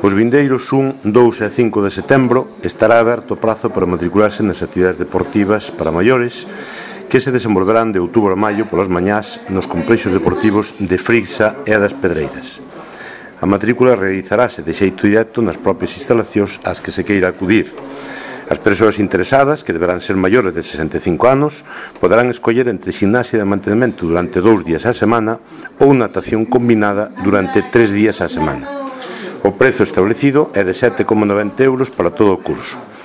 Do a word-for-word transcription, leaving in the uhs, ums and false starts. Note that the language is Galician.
Os vindeiros un, dous e cinco de setembro estará aberto o prazo para matricularse nas actividades deportivas para maiores que se desenvolverán de outubro a maio polas mañás nos complexos deportivos de Frixa e das Pedreiras. A matrícula realizarase de xeito directo nas propias instalacións ás que se queira acudir. As persoas interesadas, que deberán ser maiores de sesenta e cinco anos, poderán escoller entre gimnasia de mantenimento durante dous días á semana ou natación combinada durante tres días á semana. O prezo establecido é de sete coma noventa euros para todo o curso.